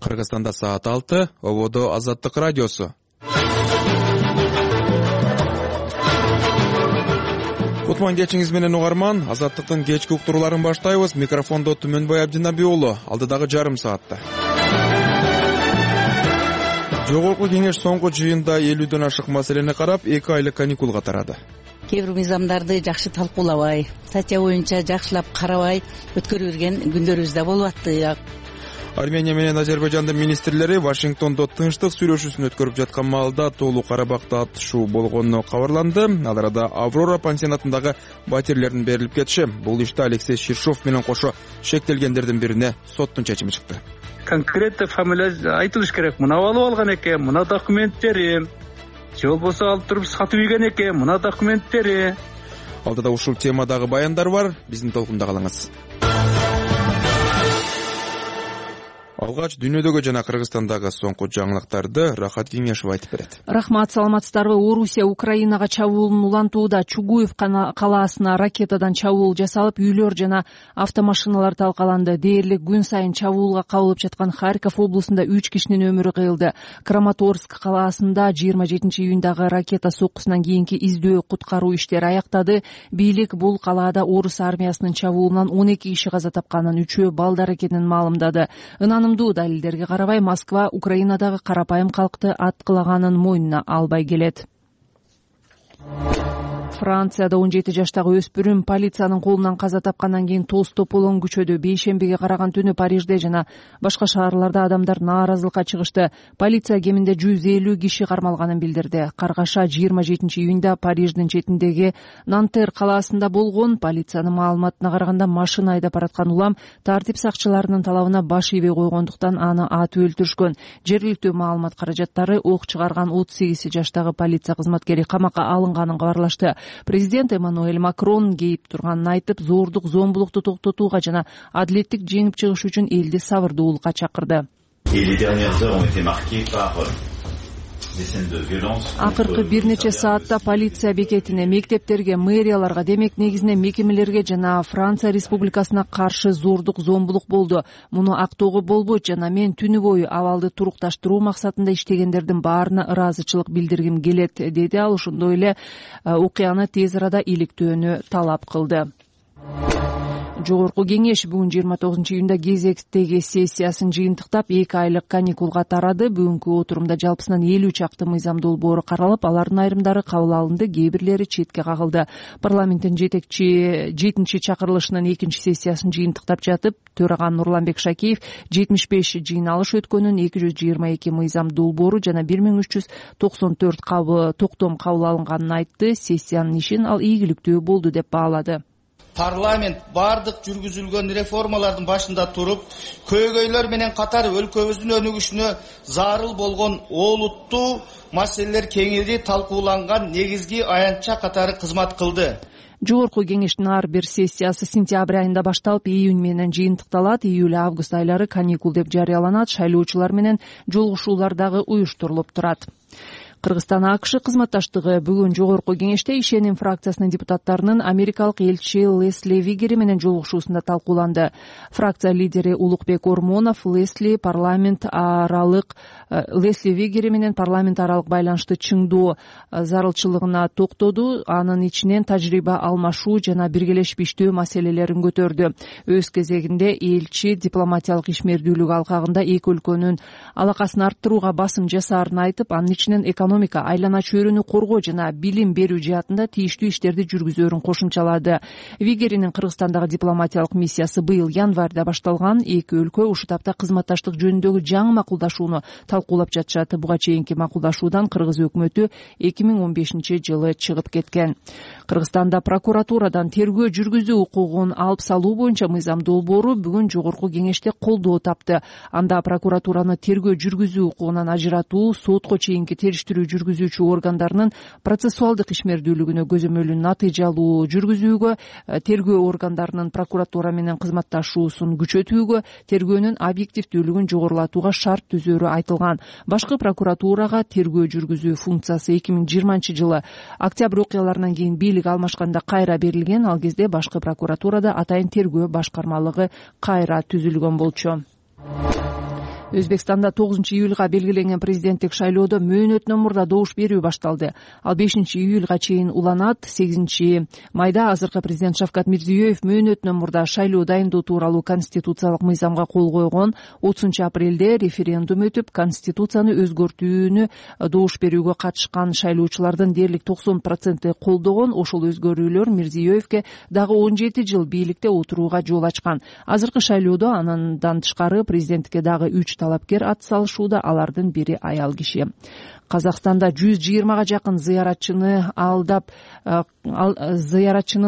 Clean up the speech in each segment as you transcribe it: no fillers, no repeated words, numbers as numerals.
Кыргызстанда саат 6, ободо Азаттык радиосу. Кутман кечиңиз менен угарман, Азаттыктын кечки уктурууларын баштайбыз. Микрофондо Түмөнбай Абдинаби уулу. Алдыдагы жарым саатта. Жогорку кеңеш соңку жыйында 50дөн ашык маселени карап, 2 айлык каникулга тарады. Кээ бир мыйзамдарды жакшы талкуулабай, статья боюнча жакшылап карабай өткөрүп берген күндөрүбүз да болуп атты. Армения менен Азербайжандын министрлери Вашингтондо тынчтык сүйлөшүүсүн өткөрүп жаткан маалда Тоолуу Карабакта атышуу болгону кабарланды. Ал арада Аврора пансионатындагы батирлердин берилип кетиши. Бул иште Алексей Ширшов менен кошо шектелгендердин бирине соттун чечими чыкты. Конкретно фамилия айтылыш керек. Мына алып алган экен, мына документтери. Же болбосо алып туруп сатып ийген экен, мына документтери. Алдыда ушул темадагы баяндар бар. Биздин толкунда калыңыз. Алгач дүйнөдөгү жана Кыргызстандагы соңку жаңылыктарды Рахат Кеңешов айтып берет. Рахмат, саламатсыздарбы? Орусия Украинага чабуулун улантууда. Чугуев калаасына ракетадан чабуул жасалып, үйлөр жана автомашиналар талкаланды. Дээрлик күн сайын чабуулга кабылып жаткан Харьков облусунда 3 кишинин өмүрү кыйылды. Краматорск калаасында 27-июндагы ракета соккусунан кийинки издөө куткаруу иштери аяктады. Бийлик бул калаада орус армиясынын чабуулунан 12 киши каза тапканын, 3-өө балдар экенин маалымдады. Далилдерге карабай, Москва Украинадагы карапайым калкты аткылаганын мойнуна албай келет. Францияда 17 жаштагы өспүрүм полициянын колунан каза тапкандан кийин тоз тополоң күчөдү. Бейшембиге караган түнү Парижде жана башка шаарларда адамдар нааразылыкка чыгышты. Полиция кеминде 150 киши кармалганын билдирди. Каргаша 27-июнда Париждин четиндеги Нантер калаасында болгон. Полициянын маалыматына караганда, машина айдап бараткан улам тартип сакчыларынын талабына баш ийбей койгондуктан аны атып өлтүрүшкөн. Жергиликтүү маалымат каражаттары ок чыгарган 38 жаштагы полиция кызматкери камакка алынганын кабарлашты. Президент Эммануэль Макрон кейип турганын айтып, зордук, зомбулукту токтотууга жана адилеттик жеңип чыгыш үчүн элди сабырдуулукка чакырды. Акыркы бир нече саатта полиция бекетине, мектептерге, мэрияларга, демек негизинен мекемелерге жана Франция Республикасына каршы зордук, зомбулук болду. Муну актоого болбойт жана мен түнү бою абалды турукташтыруу максатында иштегендердин баарына ыраазычылык билдиргим келет, деди ал. Ошондой эле окуяны тез арада иликтөөнү талап кылды. Жогорку кеңеш бүгүн 29-июнда кезектеги сессиясын жыйынтыктап 2 айлык каникулга тарады. Бүгүнкү отурумда жалпысынан 50 чакты мыйзам долбоору каралып, алардын айрымдары кабыл алынды, кээ бирлери четке кагылды. Парламенттин 7-чи чакырылышынын 2-чи сессиясын жыйынтыктап жатып, төраган Нурланбек Шакеев 75 жыйналыш өткөнүн, 222 мыйзам долбоору жана 1394 токтом кабыл алынганын айтты. Сессиянын ишин ал ийгиликтүү болду деп баалады. Парламент бардык жүргүзүлгөн реформалардын башында туруп, көйгөйлөр менен катар өлкөбүздүн өнүгүшүнө зарыл болгон олуттуу маселелер кеңири талкууланган негизги аянтча катары кызмат кылды. Жогорку кеңештин ар бир сессиясы сентябрь айында башталып, июнь менен жыйынтыкталат. Июль-август айлары каникул деп жарыяланат. Шайлоочулар менен жолугушуулар дагы уюштурулуп турат. Кыргызстан АКШ кызматташтыгы бүгүн жогорку кеңеште ишеним фракциясынын депутаттарынын америкалык элчи Лесли Вигери менен жолугушуусунда талкууланды. Фракция лидери Улукбек Ормонов Лесли Вигери менен парламент аралык байланышты чыңдоо зарылчылыгына токтоду. Анын ичинен тажрыйба алмашуу жана биргелешип иштөө маселелерин көтөрдү. Өз кезегинде элчи дипломатиялык ишмердүүлүк алкагында эки өлкөнүн алакасын арттырууга басым жасаарын айтып, анын ичинен экономика, айлана чөйрөнү коргоо жана билим берүү жаатында тийиштүү иштерди жүргүзөөрүн кошумчалады. Вигеринин Кыргызстандагы дипломатиялык миссиясы быйыл январда башталган. Эки өлкө ушул тапта кызматташтык жөнүндөгү жаңы макулдашууну талкуулап жатышат. Буга чейинки макулдашуудан Кыргыз өкмөтү 2015-жылы чыгып кеткен. Кыргызстанда прокуратурадан тергөө жүргүзүү укугун алып салуу боюнча мыйзам долбоору бүгүн жогорку кеңеште колдоо тапты. Анда прокуратураны тергөө жүргүзүү укугунан ажыратуу, сотко чейинки териштирүү жүргүзүүчү органдарынын процессуалдык ишмердүүлүгүнө көзөмөлү натыйжалуу жүргүзүүгө, тергөө органдарынын прокуратура менен кызматташуусун күчөтүүгө, тергөөнүн объективдүүлүгүн жогорулатууга шарт түзөөрү айтылган. Башкы прокуратурага тергөө жүргүзүү функциясы 2020-жылы октябрь окуяларынан кийин бийлик алмашканда кайра берилген. Ал кезде башкы прокуратурада атайын тергөө башкармалыгы кайра түзүлгөн болчу. Өзбекстанда 9-июлга белгиленген президенттик шайлоодо мөөнөтүнөн мурда добуш берүү башталды. Ал 5-июлга чейин уланат. 8-майда азыркы президент Шавкат Мирзиёев мөөнөтүнөн мурда шайлоо дайындоо тууралуу конституциялык мыйзамга кол койгон. 30-апрелде референдум өтүп, конституцияны өзгөртүүнү добуш берүүгө катышкан шайлоочулардын дээрлик 90% колдогон. Ошол өзгөрүүлөр Мирзиёевке дагы 17 жыл бийликте отурууга жол ачкан. Азыркы шайлоодо андан тышкары президенттикке дагы 3 талапкер ат салышууда. Алардын бири аял киши. Казакстанда 120га жакын зыяратчынын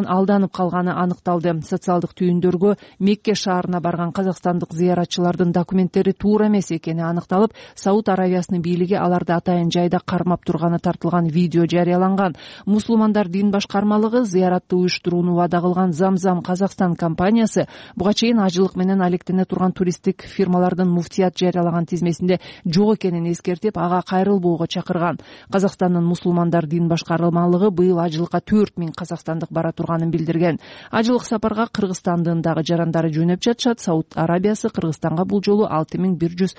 алданып калганы аныкталды. Социалдык түйүндөргө Мекке шаарына барган казакстандык зыяратчылардын документтери туура эмес экени аныкталып, Сауд Аравиясынын бийлиги аларды атайын жайда кармап турганы тартылган видео жарыяланган. Мусулмандар дин башкармалыгы зыяратты уюштурууну убада кылган Замзам Казакстан компаниясы буга чейин ажылык менен алектене турган туристтик фирмалардын муфтият жарыялаган тизмесинде жок экенин эскертип, ага кайрылбоого чакырган. Казакстандын мусулмандар дин башкармалыгы быйыл ажылыкка 4000 казакстандык бара турганын билдирген. Ажылык сапарга Кыргызстандын дагы жарандары жөнөп жатышат. Сауд Арабиясы Кыргызстанга бул жолу 6110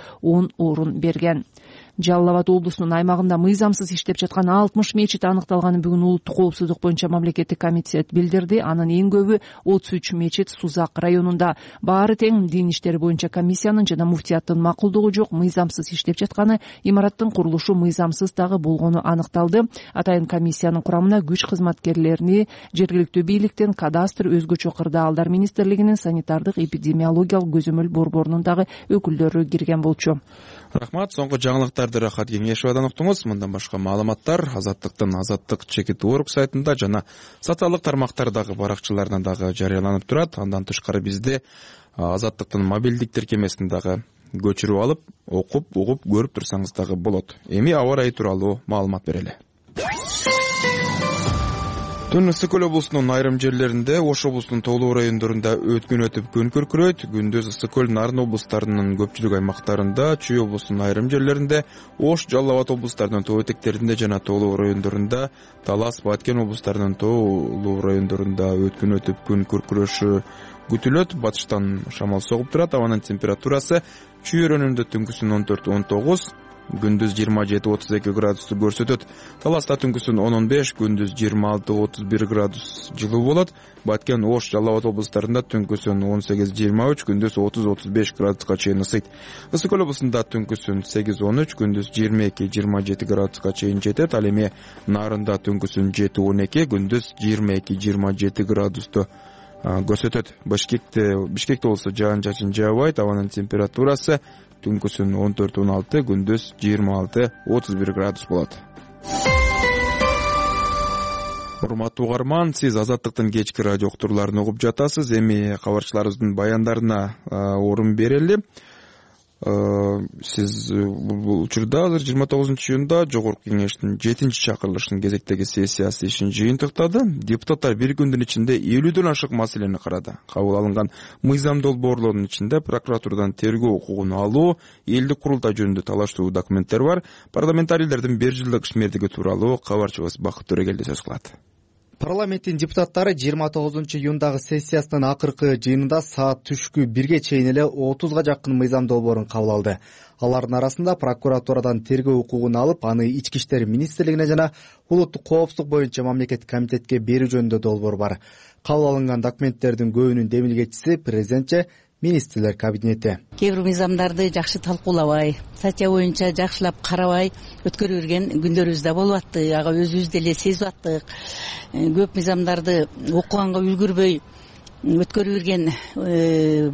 орун берген. Жалал Абад облусунун аймагында мыйзамсыз иштеп жаткан 60 мечит аныкталганын бүгүн улуттук коопсуздук боюнча мамлекеттик комитет билдирди. Анын эң көбү 33 мечит Сузак районунда. Баары тең дин иштери боюнча комиссиянын жана муфтияттын макулдугу жок мыйзамсыз иштеп жатканы, имараттын курулушу мыйзамсыз дагы болгону аныкталды. Атайын комиссиянын курамына күч кызматкерлерини жергиликтүү бийликтен, кадастр, өзгөчө кырдаалдар министрлигинин санитардык эпидемиологиялык көзөмөл борборунун дагы өкүлдөрү кирген болчу. Рахмат. Соңку жаңылыктарды Рахат Кеңешовадан уктуңуз. Мындан башка маалыматтар Азаттыктын Азаттык.org сайтында жана социалдык тармактардагы баракчаларына дагы жарыяланып турат. Андан тышкары бизде Азаттыктын мобилдик тиркемесин дагы көчүрүп алып, окуп, угуп, көрүп турсаңыз дагы болот. Эми аба ырайы тууралуу маалымат берели. Түн Ысык Көл облусунун айрым жерлеринде, Ош облусунун Тоолуу райондорунда өткөн өтүп күн күркүрөйт. Күндүз Ысык Көл, Нарын облустарынын көпчүлүк аймактарында, Чүй облусунун айрым жерлеринде, Ош, Жалал Абад облустарынын тоо этектеринде жана Тоолуу райондорунда, Талас, Баткен облустарынын Тоолуу райондорунда өткөн өтүп күн күркүрөшү күтүлөт. Батыштан шамал согуп турат. Абанын температурасы Чүй районунда түнкүсүн 14-19, күндүз 27-32 градусту көрсөтөт. Таласта түнкүсүн 10-15, күндүз 26-31 градус жылуу болот. Баткен, Ош, Жалал Абад облустарында түнкүсүн 18-23, күндүз 30-35 градуска чейин ысыйт. Ысык Көл облусунда түнкүсүн 8-13, күндүз 22-27 градуска чейин жетет. Ал эми Нарында түнкүсүн 7-12, күндүз 22-27 градусту көрсөтөт. Бишкекте болсо жаан-чачын жаабайт. Абанын температурасы түнкүсүн 14-16, күндүз 26-31 градус болот. Урматтуу угарман, сиз Азаттыктын кечки радио уктурууларын угуп жатасыз. Эми кабарчыларыбыздын баяндарына орун берели. Сиз бул учурда азыр 29-июнда Жогорку Кеңештин 7-чакырылышынын кезектеги сессиясы ишин жыйынтыктады. Депутаттар бир күндүн ичинде 50дөн ашык маселени карады. Кабыл алынган мыйзам долбоорлорунун ичинде прокуратурадан тергөө укугун алуу, элдик курултай жөнүндө талаштуу документтер бар. Парламентарийлердин 1 жылдык ишмердиги тууралуу кабарчыбыз Бакыт Төрөгелди сөз кылат. Парламенттин депутаттары 29-июндагы сессиясынын акыркы жыйынында саат түшкү 1ге чейин эле 30га жакын мыйзам долбоорун кабыл алды. Алардын арасында прокуратурадан тергөө укугун алып, аны Ички иштер министрлигине жана улуттук коопсуздук боюнча мамлекеттик комитетке берүү жөнүндө долбоор бар. Кабыл алынган документтердин көбүнүн демилгечиси президентче министрлер кабинети. Кээ бир мыйзамдарды жакшы талкуулабай, статья боюнча жакшылап карабай өткөрүп жүрген күндөрүбүз да болуп атты. Ага өзүбүз деле сезип аттык. Көп мыйзамдарды окуганга үлгүрбөй өткөрүп жүрген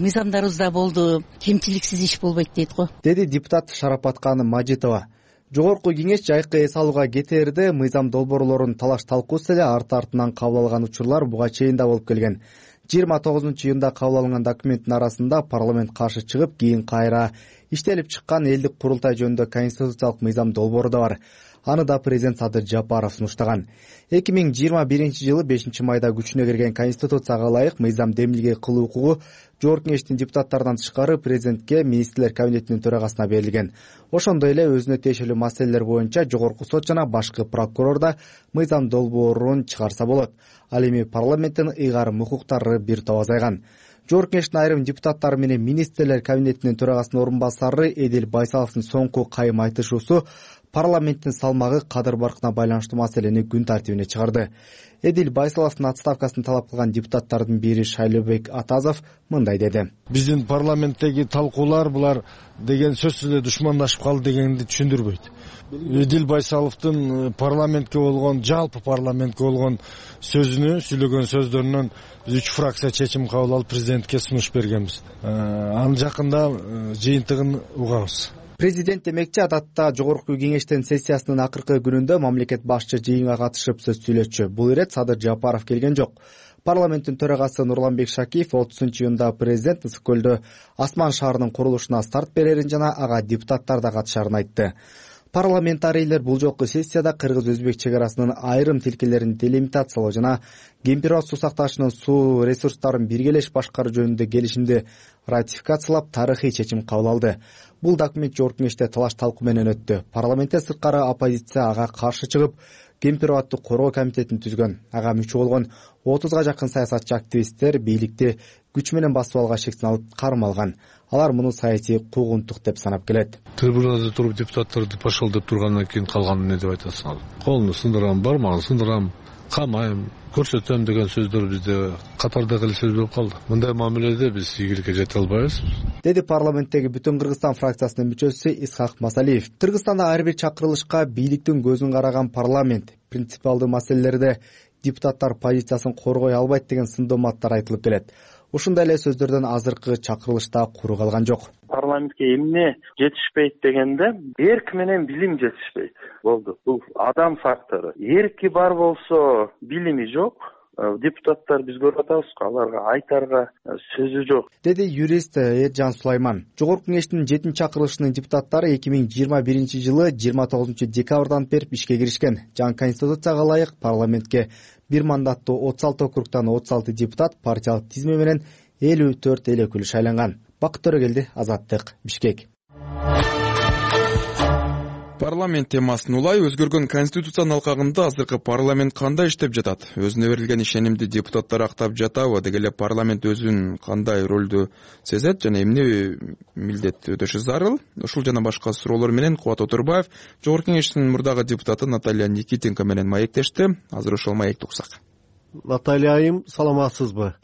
мыйзамдарыбыз да болду. Кемчиликсиз иш болбойт дейт го, деди депутат Шарапат Каны Мажитова. Жогорку Кеңеш жайкы эс алууга кетээрде мыйзам долбоорлорун талаш талкуусу эле арты-артынан кабыл алган учурлар буга чейин да болуп келген. 29-июнда кабыл алынган документтин арасында парламент каршы чыгып, кийин кайра иштелип чыккан элдик курултай жөнүндө конституциялык мыйзам долбоору да бар. Аны да президент Садыр Жапаров сунуштаган. 2021-жылы 5-майда күчүнө кирген конституцияга ылайык мыйзам демилге кылуу укугу Жогорку Кеңештин депутаттарынан тышкары президентке, министрлер кабинетинин төрагасына берилген. Ошондой эле өзүнө тиешелүү маселелер боюнча Жогорку сот жана башкы прокурор да мыйзам долбоорун чыгарса болот. Ал эми парламенттин ыйгарым укуктары бир топ азайган. Жогорку Кеңештин айрым депутаттары менен министрлер кабинетинин төрагасынын орун басары Эдил Байсаловдун соңку кайым айтышуусу парламенттин салмагы кадыр баркына байланыштуу маселени күн тартибине чыгарды. Эдил Байсаловдун отставкасын талап кылган депутаттардын бири Шайлообек Атазов мындай деди. Биздин парламенттеги талкуулар булар деген сөзсүз эле душмандашып калды дегенди түшүндүрбөйт. Эдил Байсаловдун парламентке болгон, жалпы парламентке болгон сүйлөгөн сөздөрүнөн биз 3 фракция чечим кабыл алып президентке сунуш бергенбиз. Анын жакында жыйынтыгын угабыз. Президент демекчи, адатта Жогорку Кеңештин сессиясынын акыркы күнүндө мамлекет башчы жыйынга катышып сөз сүйлөтчү. Бул ирет Садыр Жапаров келген жок. Парламенттин төрагасы Нурланбек Шакиев 30-июнда президент Ысык көлдө Асман шаарынын курулушуна старт берерин жана ага депутаттар да катышарын айтты. Парламентарийлер бул жолку сессияда кыргыз-өзбек чек арасынын айрым тилкелерин делимитациялоо жана Кемпир-Аш суу сактагычынын суу ресурстарын биргелеш башкаруу жөнүндө келишимди ратификациялап тарыхый чечим кабыл алды. Бул документ Жогорку Кеңеште талаш талкуу менен өттү. Парламентте сырткары оппозиция ага каршы чыгып, Кемпир-Абадты коргоо комитетин түзгөн. Ага мүчө болгон 30га жакын саясатчы активисттер бийликти күч менен басып алууга шектен алып кармалган. Алар муну саясий куугунтук деп санап келет. Трибунада туруп депутаттарды пошел деп тургандан кийин калганын эмне деп айтасың? Колуну сындырам, бармагын сындырам, камайм, көрсөтөм деген сөздөр бизде катардагы эле сөз болуп калды. Мындай мамиледе биз ийгиликке жете албайбыз, деди парламенттеги Бүтүн Кыргызстан фракциясынын мүчөсү Исхак Масалиев. Кыргызстанда ар бир чакырылышка бийликтин көзүн караган парламент принципиалдуу маселелерде депутаттар позициясын коргой албайт деген сындооматтар айтылып келет. Ушундай эле сөздөрдөн азыркы чакырылышта куру калган жок. Парламентке эмне жетишпейт дегенде, эрк менен билим жетишпейт. Болду. Бул адам фактору. Эрки бар болсо, билими жок. Депутаттар биз көрүп атабыз, аларга айтарга сөзү жок, деди юрист Эржан Сулайман. Жогорку Кеңештин 7-чакырылышынын депутаттары 2021-жылы 29 декабрдан берип ишке киришкен. Жаңы конституцияга ылайык парламентке бир мандаттуу 36 округтан 36 депутат партиялык тизме менен 54 эл өкүлү шайланган. Бакыт Төрөгелди, Азаттык, Бишкек. Парламент темасын улай өзгөргөн конституциянын алкагында азыркы парламент кандай иштеп жатат? Өзүнө берилген ишенимди депутаттар актап жатабы? Деги эле парламент өзүн кандай ролду сезет жана эмне милдет өтөшү зарыл? Ушул жана башка суроолор менен Кубат Отурбаев Жогорку Кеңештин мурдагы депутаты Наталья Никитенко менен маектешти. Азыр ошол маекти уксак. Наталья айым, саламатсызбы?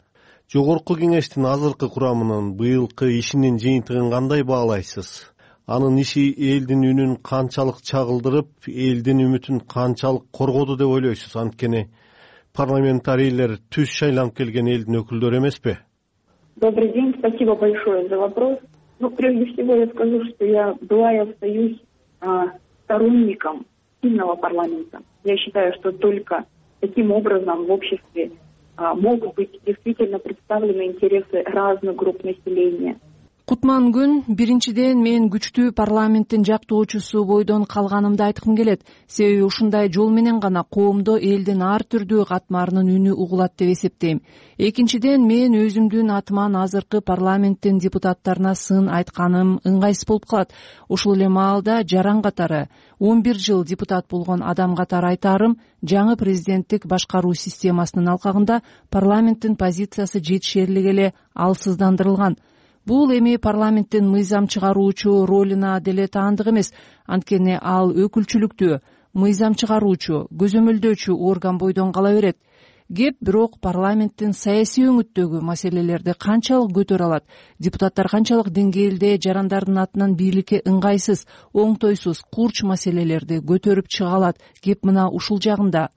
Жогорку Кеңештин азыркы курамынын быйылкы ишинин жыйынтыгын кандай баалайсыз? Анын иши элдин үнүн канчалык чагылдырып, элдин үмүтүн канчалык коргоду деп ойлойсуз? Анткени парламентарийлер түз шайланып келген элдин өкүлдөрү эмеспи? Добрый день, спасибо большое за вопрос. Прежде всего я скажу, что я была и остаюсь сторонником сильного парламента. Я считаю, что только таким образом в обществе могут быть действительно представлены интересы разных групп населения. Кутман күн. Биринчиден мен күчтүү парламенттин жактоочусу бойдон калганымды айткым келет. Себеби ушундай жол менен гана коомдо элдин ар түрдүү катмарынын үнү угулат деп эсептейм. Экинчиден мен өзүмдүн атыман азыркы парламенттин депутаттарына сын айтканым ыңгайсыз болуп калат. Ушул эле маалда жаран катары 11 жыл депутат болгон адам катары айтаарым, жаңы президенттик башкаруу системасынын алкагында парламенттин позициясы жетишерлик эле алсыздандырылган. Бул эми парламенттин мыйзам чыгаруучу ролуна деле таандык эмес, анткени ал өкүлчүлүктүү, мыйзам чыгаруучу, көзөмөлдөөчү орган бойдон кала берет. Кеп бирок парламенттин саясий өңүттөгү маселелерди канчалык көтөрө алат, депутаттар канчалык деңгээлде жарандардын атынан бийликке ыңгайсыз, оңтойсуз, курч маселелерди көтөрүп чыга алат, кеп мына ушул жагында.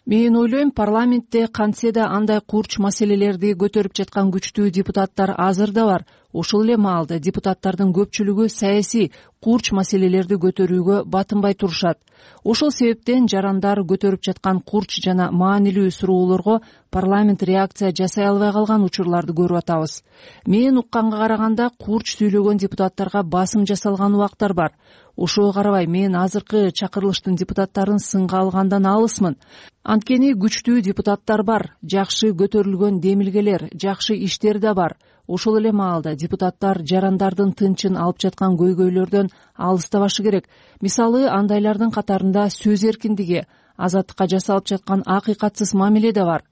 Мен ойлойм, парламентте кантсе да андай курч маселелерди көтөрүп жаткан күчтүү депутаттар азыр да бар. Ошол эле маалда депутаттардын көпчүлүгү саясий курч маселелерди көтөрүүгө батынбай турушат. Ошол себептен жарандар көтөрүп жаткан курч жана маанилүү суроолорго парламент реакция жасай албай калган учурларды көрүп атабыз. Мен укканга караганда курч сүйлөгөн депутаттарга басым жасалган убактар бар. Ошого карабай мен азыркы чакырылыштын депутаттарын сынга алгандан алысмын. Анткени күчтүү депутаттар бар, жакшы көтөрүлгөн демилгелер, жакшы иштер да бар. Ошол эле маалда депутаттар жарандардын тынчын алып жаткан көйгөйлөрдөн алыстабашы керек. Мисалы, андайлардын катарында сөз эркиндиги, азаттыкка жасалып жаткан акыйкатсыз мамиле да бар.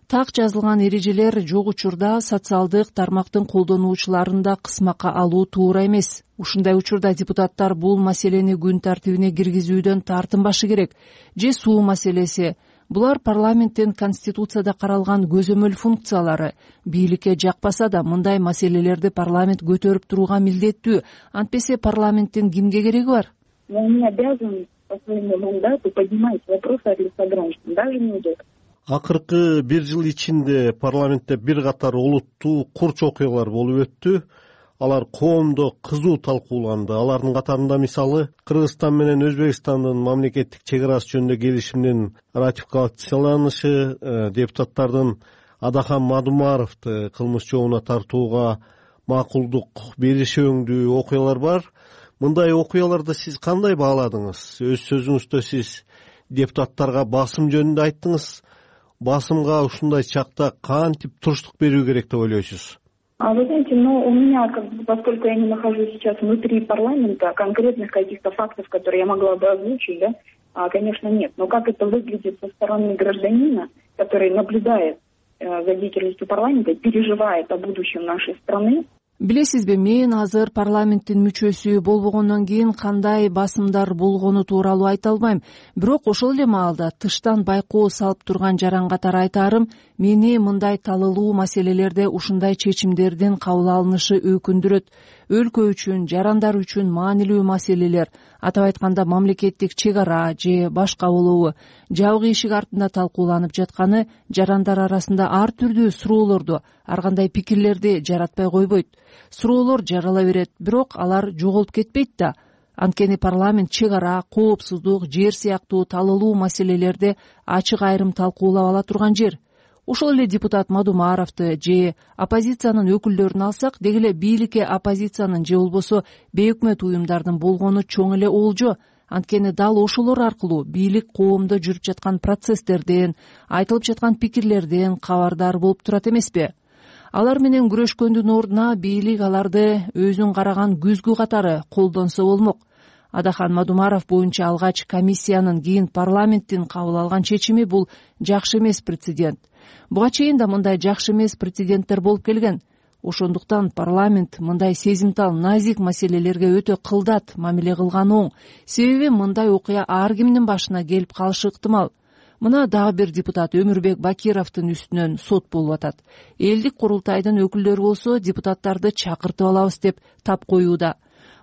Так жазылган эрежелер жок учурда социалдык тармактын колдонуучуларын да кысмакка алуу туура эмес. Ушундай учурда депутаттар бул маселени күн тартибине киргизүүдөн тартынбашы керек. Же суу маселеси. Булар парламенттин конституцияда каралган көзөмөл функциялары. Бийликке жакпаса да мындай маселелерди парламент көтөрүп турууга милдеттүү. Антпесе парламенттин кимге кереги бар? Мы обязаны по своему мандату поднимать вопросы от лица граждан, даже не идет. Акыркы бир жыл ичинде парламентте бир катар олуттуу курч окуялар болуп өттү. Алар коомдо кызуу талкууланды. Алардын катарында мисалы Кыргызстан менен Өзбекстандын мамлекеттик чек арасы жөнүндө келишимдин ратификацияланышы, депутаттардын Адахан Мадумаровду кылмыш жообуна тартууга макулдук бериши өңдүү окуялар бар. Мындай окуяларды сиз кандай бааладыңыз? Өз сөзүңүздө сиз депутаттарга басым жөнүндө айттыңыз. Басымга ушундай чакта кантип туруштук берүү керек деп ойлойсуз? Вы знаете, у меня, поскольку я не нахожусь сейчас внутри парламента, конкретных каких-то фактов, которые я могла бы озвучить, да, конечно, нет. Но как это выглядит со стороны гражданина, который наблюдает за деятельностью парламента, переживает о будущем нашей страны? Билесизби, мен азыр парламенттин мүчөсү болбогондон кийин кандай басымдар болгону тууралуу айта албайм. Бирок ошол эле маалда тыштан байкоо салып турган жаран катары айтаарым, мени мындай талылуу маселелерде ушундай чечимдердин кабыл алынышы өкүндүрөт. Өлкө үчүн, жарандар үчүн маанилүү маселелер, атап айтканда мамлекеттик чек ара же башка болобу, жабык эшик артында талкууланып жатканы жарандар арасында ар түрдүү суроолорду, ар кандай пикирлерди жаратпай койбойт. Суроолор жарала берет, бирок алар жоголуп кетпейт да. Анткени парламент чек ара, коопсуздук, жер сыяктуу талылуу маселелерди ачык айрым талкуулап ала турган жер. Ошол эле депутат Мадумаровду же оппозициянын өкүлдөрүн алсак, деги эле бийликке оппозициянын же болбосо бейөкмөт уюмдардын болгону чоң эле олжо. Анткени дал ошолор аркылуу бийлик коомдо жүрүп жаткан процесстерден, айтылып жаткан пикирлерден кабардар болуп турат эмеспи? Алар менен күрөшкөндүн ордуна бийлик аларды өзүн караган күзгү катары колдонсо болмок. Адахан Мадумаров боюнча алгач комиссиянын, кийин парламенттин кабыл алган чечими бул жакшы эмес прецедент. Буга чейин да мындай жакшы эмес прецеденттер болуп келген. Ошондуктан парламент мындай сезимтал, назик маселелерге өтө кылдат мамиле кылган оң. Себеби мындай окуя ар кимдин башына келип калышы ыктымал. Мына дагы бир депутат Өмүрбек Бакировдун үстүнөн сот болуп атат. Элдик курултайдын өкүлдөрү болсо депутаттарды чакыртып алабыз деп тап коюуда.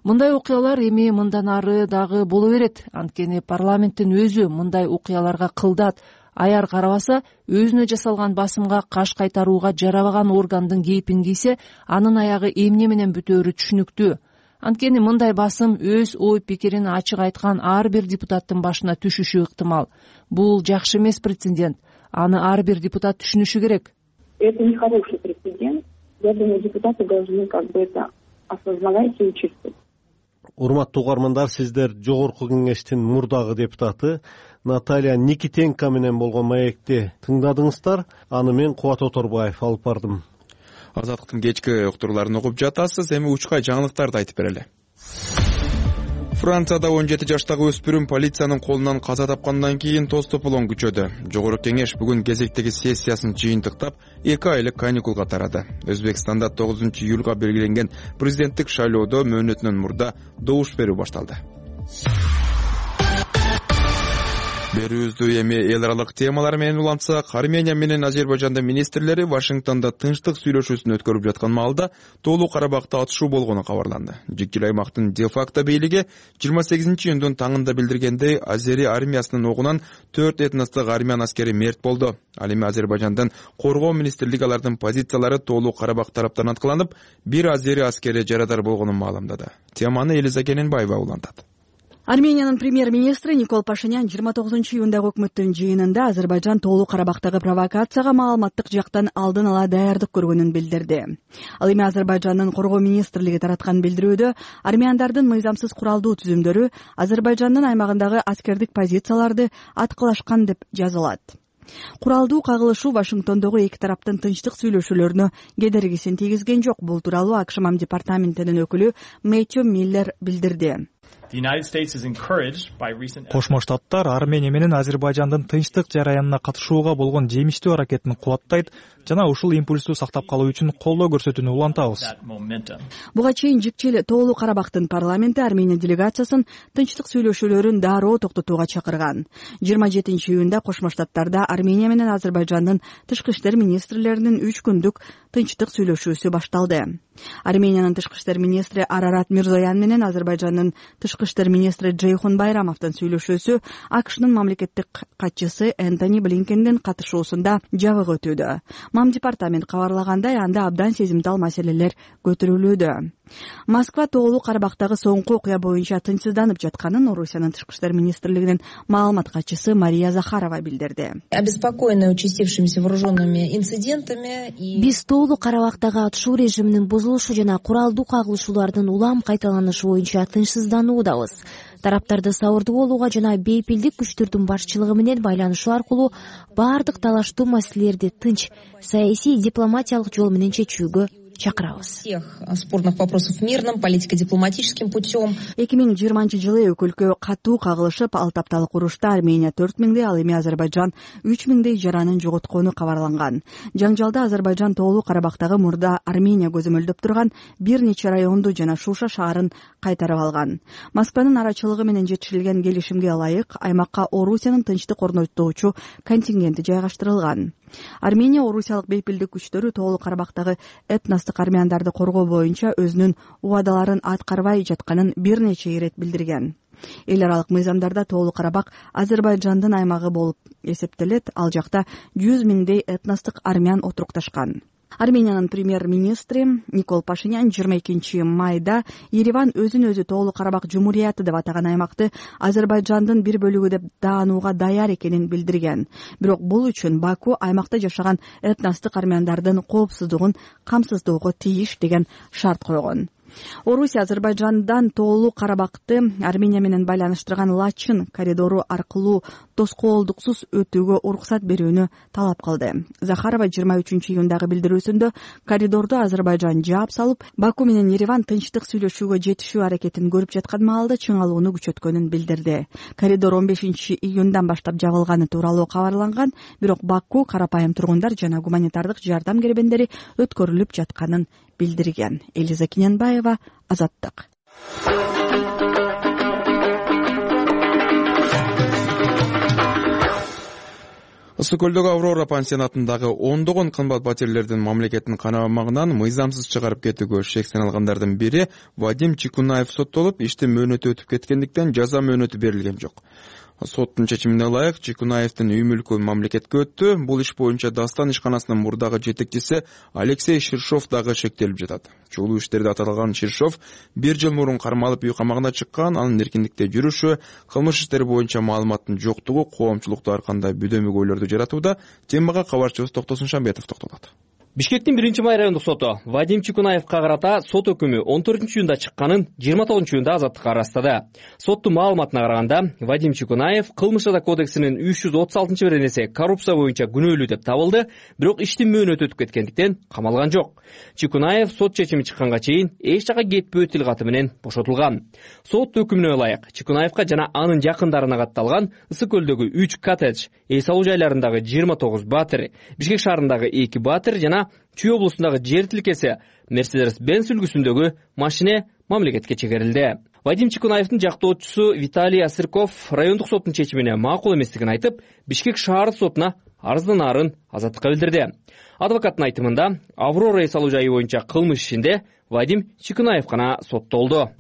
Мындай окуялар эми мындан ары дагы боло берет. Анткени парламенттин өзү мындай окуяларга кылдат, аяр карабаса, өзүнө жасалган басымга каш кайтарууга жарабаган органдын кейпин кийсе, анын аягы эмне менен бүтөөрү түшүнүктүү. Анткени мындай басым өз ой пикирин ачык айткан ар бир депутаттын башына түшүшү ыктымал. Бул жакшы эмес прецедент. Аны ар бир депутат түшүнүшү керек. Это нехороший прецедент. Я думаю, депутаты должны это осознавать и учитывать. Урматтуу угармандар, сиздер Жогорку кеңештин мурдагы депутаты Наталья Никитенко менен болгон маекти тыңдадыңыздар. Аны мен Кубат Оторбаев алып бардым. Азаттыктын кечки уктурларын окуп жатасыз. Эми учкай жаңылыктарды айтып берели. Францияда 17 жаштагы өспүрүм полициянын колунан каза тапкандан кийин тоз тополоң күчөдү. Жогорку кеңеш бүгүн кезектеги сессиясын жыйынтыктап 2 айлык каникулга тарады. Өзбекстанда 9-июлга белгиленген президенттик шайлоодо мөөнөтүнөн мурда добуш берүү башталды. Берүүбүздү эми эл аралык темалар менен улантсак, Армения менен Азербайжандын министрлери Вашингтондо тынчтык сүйлөшүүсүн өткөрүп жаткан маалда Тоолуу Карабакта атышуу болгону кабарланды. Жикчил аймактын де-факто бийлиги 28-июндун таңында билдиргендей, Азери армиясынын огунан 4 этностук армян аскери мерт болду. Ал эми Азербайжандын коргоо министрлиги алардын позициялары Тоолуу Карабак тараптан аткыланып, бир азери аскери жарадар болгонун маалымдады. Теманы Элиза Кененбаева улантат. Армениянын премьер-министри Никол Пашинян 29-июндагы өкмөттүн жыйынында Азербайжан Тоолуу Карабактагы провокацияга маалыматтык жактан алдын ала даярдык көргөнүн билдирди. Ал эми Азербайжандын коргоо министрлиги тараткан билдирүүдө армяндардын мыйзамсыз куралдуу түзүмдөрү Азербайжандын аймагындагы аскердик позицияларды аткылашкан деп жазылат. Куралдуу кагылышуу Вашингтондогу эки тараптын тынчтык сүйлөшүүлөрүнө кедергисин тийгизген жок. Бул тууралуу АКШ департаментинин өкүлү Мэтью Миллер билдирди. Кошмо Штаттар Армения менен Азербайжандын тынчтык жараянына катышууга болгон жемиштүү аракетин кубаттайт жана ушул импульсту сактап калуу үчүн колдоо көрсөтүүнү улантабыз. Буга чейин Жикчил Тоолуу Карабактын парламенти Армения делегациясын тынчтык сүйлөшүүлөрүн дароо токтотууга чакырган. 27-июнда Кошмо Штаттарда Армения менен Азербайжандын тышкы иштер министрлеринин 3 күндүк тынчтык сүйлөшүүсү башталды. Армениянын тышкы иштер министри Арарат Мирзоян менен Азербайжандын тышкы иштер министри Джейхун Байрамовдун сүйлөшүүсү АКШнын мамлекеттик катчысы Энтони Блинкендин катышуусунда жабык өтүүдө. МАМ департамент кабарлагандай, анда абдан сезимтал маселелер көтөрүлүүдө. Москва Тоолуу Карабактагы соңку окуя боюнча тынчсызданып жатканын Орусиянын тышкы иштер министрлигинин маалымат катчысы Мария Захарова билдирди. Обеспокоены участившимися вооруженными инцидентами. Биз Тоолуу Карабактагы атышуу режиминин бузулушу жана куралдуу кагылышуулардын улам кайталанышы боюнча тынчсыздануудабыз. Тараптарды сабырдуу болууга жана бейпилдик күчтөрдүн башчылыгы менен байланышуу аркылуу баардык талаштуу маселелерди тынч, саясий, дипломатиялык жол менен чечүүгө чакырабыз. Всех спорных вопросов мирным, политико-дипломатическим путем. 2020-жылы өлкө катуу кагылышып, 6 апталык урушта Армения 4000, ал эми Азербайжан 3000 жаранын жоготкону кабарланган. Жаңжалда Азербайжан Тоолуу Карабактагы мурда Армения көзөмөлдөп турган бир нече районду жана Шуша шаарын кайтарып алган. Москванын арачылыгы менен жетишилген келишимге ылайык аймакка Орусиянын тынчтык орнотуучу контингенти жайгаштырылган. Армения орусиялык бейпилдик күчтөрү Тоолуу Карабактагы этностук армяндарды коргоо боюнча өзүнүн убадаларын аткарбай жатканын бир нече ирет билдирген. Эл аралык мыйзамдарда Тоолуу Карабак Азербайжандын аймагы болуп эсептелет, ал жакта 100 000 этностук армян отурукташкан. Армениянын премьер-министри Никол Пашинян 22 майда Ереван өзүн-өзү Тоолуу Карабак Жумурияты деп атаган аймакты Азербайжандын бир бөлүгү деп даанууга даяр экенин билдирген. Бирок бул үчүн Баку аймакта жашаган этностук армяндардын коопсуздугун камсыздоого тийиш деген шарт койгон. Орусия Азербайжандан Тоолуу Карабакты Армения менен байланыштырган Лачын коридору аркылуу тоскоолдуксуз өтүүгө уруксат берүүнү талап кылды. Захарова 23-июндагы билдирүүсүндө коридорду Азербайжан жаап салып, Баку менен Ереван тынчтык сүйлөшүүгө жетишүү аракетин көрүп жаткан маалда чыңалууну күчөткөнүн билдирди. Коридор 15-июндан баштап жабылганы тууралуу кабарланган, бирок Баку карапайым тургундар жана гуманитардык жардам кербендери өткөрүлүп жатканын билдирген. Элиза Киненбаева, Азаттык. Ысык көлдөгү Аврора пансионатындагы ондогон кымбат батирлердин мамлекеттин канамагынан мыйзамсыз чыгарып кетүүгө шек саналгандардын бири Вадим Чикунаев соттолуп, иштин мөөнөтү өтүп кеткендиктен жаза мөөнөтү берилген жок. Соттун чечимине ылайык Чикунаевдин үй мүлкү мамлекетке өттү. Бул иш боюнча Дастан ишканасынын мурдагы жетекчиси Алексей Ширшов дагы шектелип жатат. Чогуу иштерде аталган Ширшов 1 жыл мурун кармалып үй камагына чыккан. Анын эркиндикте жүрүшү, кылмыш иштери боюнча маалыматтын жоктугу коомчулукта ар кандай бүдөмүк ойлорду жаратууда. Темага кабарчыбыз Токтосун Шамбетов токтолот. Бишкектин 1 райондук соту Вадим Чикунаевка карата сот өкүмү 14-июнда чыкканын 29-июнда азаттыкка арастады. Соттун маалыматына караганда, Вадим Чикунаев кылмыш жаза кодексинин 336-беренеси коррупция боюнча күнөөлүү деп табылды, бирок иштин мөөнөтү өтүп кеткендиктен камалган жок. Чикунаев сот чечими чыкканга чейин эч жака кетпөө тил каты менен бошотулган. Сот өкүмүнө ылайык Чикунаевка жана анын жакындарына катталган Ысык көлдөгү 3 коттедж, үй салуу жайларындагы 29 батир, Бишкек шаарындагы 2 батир жана Чүй облусундагы жер тилкеси Mercedes-Benz үлгүсүндөгү машине мамлекетке чегерилди. Вадим Чикунаевдин жактоочусу Виталий Асырков райондук соттун чечимине макул эместигин айтып, Бишкек шаардык сотуна арызданарын азаттыкка билдирди. Адвокаттын айтымында, Аврора салуу жайы боюнча кылмыш ишинде Вадим Чикунаев гана соттолду.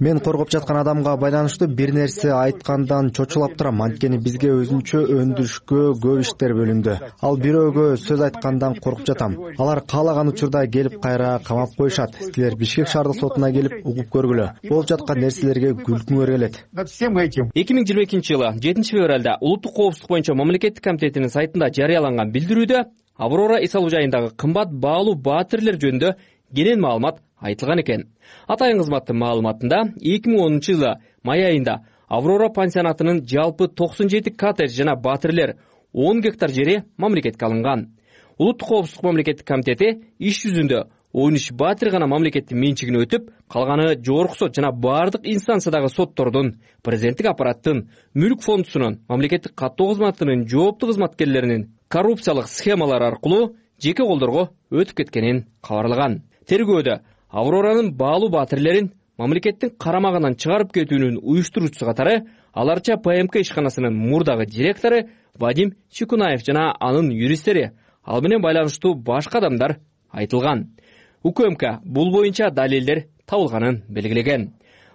Мен коргоп жаткан адамга байланыштуу бир нерсе айткандан чочулап турам, анткени бизге өзүнчө өндүрүшкө көп иштер бөлүндү. Ал бирөөгө сөз айткандан коркуп жатам. Алар каалаган учурда келип кайра камап коюшат. Силер Бишкек шаардык сотуна келип угуп көргүлө. Болуп жаткан нерселерге күлкүңөр келет. 2022-жылы 7-февралда Улуттук коопсуздук боюнча мамлекеттик комитетинин сайтында жарыяланган билдирүүдө Аврора үй салуу жайындагы кымбат баалуу батирлер жөнүндө кенен маалымат айтылган экен. Атайын кызматтын маалыматында 2010-жылы май айында Аврора пансионатынын жалпы 97 коттедж жана батирлер 10 гектар жери мамлекетке алынган. Улуттук коопсуздук мамлекеттик комитети иш жүзүндө он үч батир гана мамлекеттин менчигине өтүп, калганы жогорку сот жана бардык инстанциядагы соттордун, президенттик аппараттын, мүлк фондусунун, мамлекеттик каттоо кызматынын жооптуу кызматкерлеринин коррупциялык схемалар аркылуу жеке колдорго өтүп кеткенин кабарлаган. Тергөөдө Авроранын баалуу батирлерин мамлекеттин карамагынан чыгарып кетүүнүн уюштуруучусу катары аларча ПМК ишканасынын мурдагы директору Вадим Чекунаев жана анын юристтери, ал менен байланыштуу башка адамдар айтылган. УКМК бул боюнча далилдер табылганын белгилеген.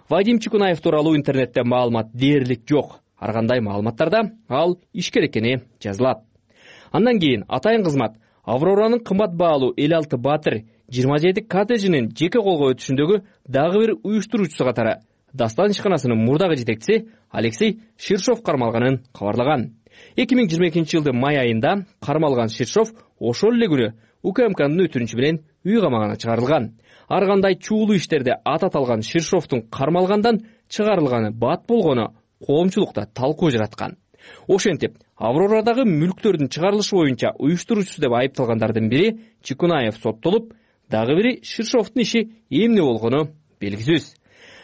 Вадим Чекунаев тууралуу интернетте маалымат дээрлик жок. Ар кандай маалыматтарда ал ишкер экени жазылат. Андан кийин атайын кызмат Авроранын кымбат баалуу 56 батир 27 коттеджинин жеке колго өтүшүндөгү дагы бир уюштуруучусу катары Дастан ишканасынын мурдагы жетекчиси Алексей Ширшов кармалганын кабарлаган. 2022 жылдын май айында кармалган Ширшов ошол эле күнү УКМКнын өтүнүчү менен үй камагына чыгарылган. Ар кандай чуулуу иштерде ат аталган Ширшовдун кармалгандан чыгарылганы бат болгону коомчулукта талкуу жараткан. Ошентип, Аврорадагы мүлктөрдүн чыгарылышы боюнча уюштуруучусу деп айыпталгандардын бири Чекунаев соттолуп, дагы бири Ширшовдун иши эмне болгону белгисиз.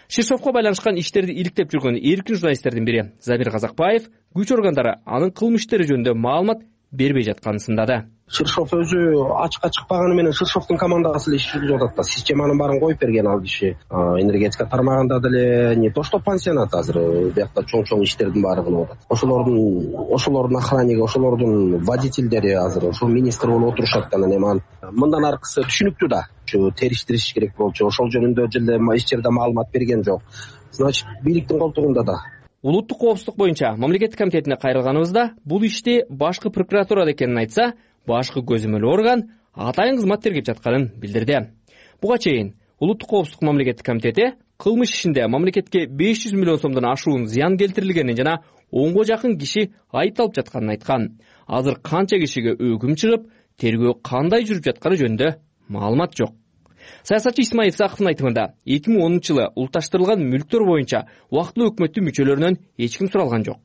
Ширшовго байланышкан иштерди иликтеп жүргөн эркин журналисттердин бири Замир Казакбаев күч органдары анын кылмыш иштери жөнүндө маалымат бербей жатканын сындады. Ширшов өзү ачыкка чыкпаганы менен Ширшовдун командасы эле иш жүргүзүп атат да. Системанын баарын коюп берген ал киши. Энергетика тармагында деле не то что пансионат азыр биякта чоң иштердин баары кылып атат. Ошолордун охранниги, ошолордун водительдери азыр ошол министр болуп отурушат да. Анан мындан аркысы түшүнүктүү да. Териштириш керек болчу. Ошол жөнүндө жылы эч жерде маалымат берген жок. Значит, бийликтин колтугунда да. Улуттук коопсуздук боюнча мамлекеттик комитетине кайрылганыбызда бул ишти башкы прокуратурада экенин айтса, башкы көзөмөл орган атайын кызмат тергеп жатканын билдирди. Буга чейин Улуттук коопсуздук мамлекеттик комитети кылмыш ишинде мамлекетке 500 миллион сомдон ашуун зыян келтирилгенин жана 10го жакын киши айыпталып жатканын айткан. Азыр канча кишиге өкүм чыгып, тергөө кандай жүрүп жатканы жөнүндө маалымат жок. Саясатчы Исмаил Исаковдун айтымында 2010 жылы улутташтырылган мүлктөр боюнча убактылуу өкмөттүн мүчөлөрүнөн эч ким суралган жок.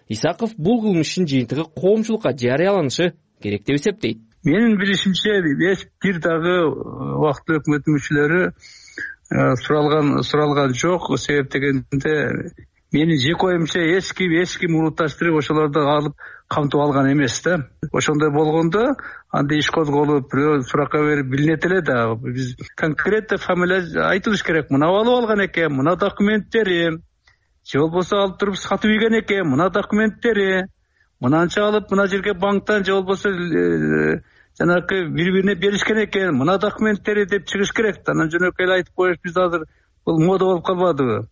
Исаков бул кылмыш ишин жыйынтыгы коомчулукка жарыяланышы керек деп эсептейт. Менин билишимче бир дагы убактылуу өкмөттүн мүчөлөрү суралган жок. Себеп дегенде менин жеке оюмча эч ким улутташтырып ошолорду алып камтып алган эмес да. Ошондой болгондо анда иш козголуп, бирөө суракка берип билинет эле да. Биз конкретно фамилия айтылыш керек. Мына алып алган экен, мына документтери, же болбосо алып туруп сатып ийген экен, мына документтери, мынанча алып мына жерге банктан же болбосо жанагы бири-бирине беришкен экен, мына документтери деп чыгыш керек да. Анан жөнөкөй эле айтып коюш биз азыр бул мода болуп калбадыбы?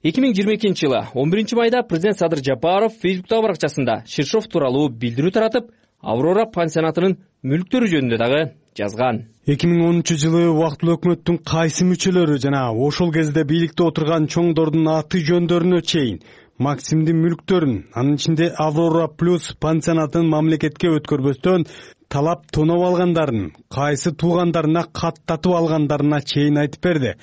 2022 жылы 11 майда президент Садыр Жапаров Фейсбуктагы баракчасында Ширшов тууралуу билдирүү таратып, Аврора пансионатынын мүлктөрү жөнүндө дагы жазган. 2013 жылы убактылуу өкмөттүн кайсы мүчөлөрү жана ошол кезде бийликте отурган чоңдордун аты жөндөрүнө чейин Максимдин мүлктөрүн, анын ичинде Аврора плюс пансионатын мамлекетке өткөрбөстөн талап тоноп алгандарын, кайсы туугандарына каттатып алгандарына чейин айтып берди.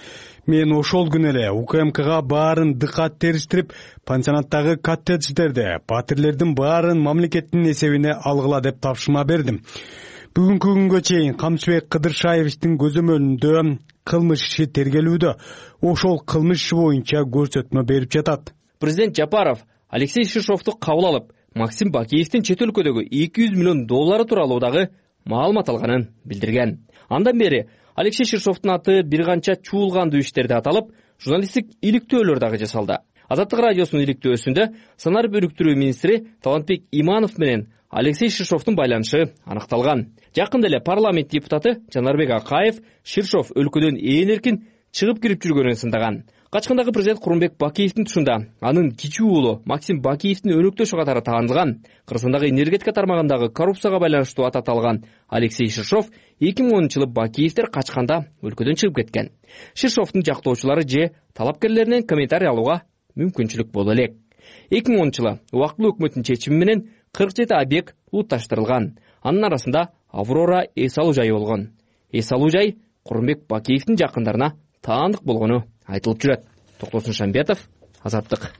Мен ошол күнү эле УКМКга баарын дыкат териштирип, пансионаттагы коттедждерде батирлердин баарын мамлекеттин эсебине алгыла деп тапшырма бердим. Бүгүнкү күнгө чейин Камчыбек Кыдыршаевичтин көзөмөлүндө кылмыш иши тергелүүдө, ошол кылмыш иши боюнча көрсөтмө берип жатат. Президент Жапаров Алексей Ширшовду кабыл алып, Максим Бакиевдин чет өлкөдөгү 200 миллион доллары тууралуу дагы маалымат алганын билдирген. Андан бери Алексей Ширшовдун аты бир канча чуулгандуу иштерде аталып, журналисттик иликтөөлөр дагы жасалды. Азаттык радиосунун иликтөөсүндө санар бөлүктүрүү министри Талантбек Иманов менен Алексей Ширшовдун байланышы аныкталган. Жакында эле парламент депутаты Жанарбек Акаев Ширшов өлкөдөн ээн эркин чыгып кирип жүргөнүн сындаган. Качкындагы президент Курманбек Бакиевдин тушунда анын кичүү уулу Максим Бакиевдин өнөктөшү катары таанылган. Кыргызстандагы энергетика тармагындагы коррупцияга байланыштуу ат аталган Алексей Ширшов 2010 жылы Бакиевдер качканда өлкөдөн чыгып кеткен. Ширшовдун жактоочулары же талапкерлеринен комментарий алууга мүмкүнчүлүк боло элек. 2010 жылы убактылуу өкмөттүн чечими менен 47 объект улутташтырылган. Анын арасында Аврора эс алуу жайы болгон. Эс алуу жай Курманбек Бакиевдин жакындарына таандык болгону айтылып жүрөт. Токтосун Шамбетов, Азаттык.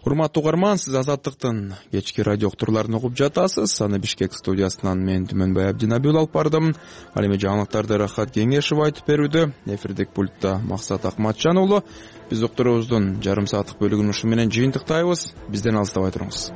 Урматтуу угарман, сиз Азаттыктын кечки радио уктурларын угуп жатасыз. Аны Бишкек студиясынан мен Түмөнбай Абдинабил алып бардым. Ал эми жаңылыктарды Рахат Кеңешев айтып берүүдө. Эфирдик пультта Максат Акматжан уулу. Биз уктурубуздун жарым сааттык бөлүгүн ушу менен жыйынтыктайбыз. Бизден алыстабай туруңуз.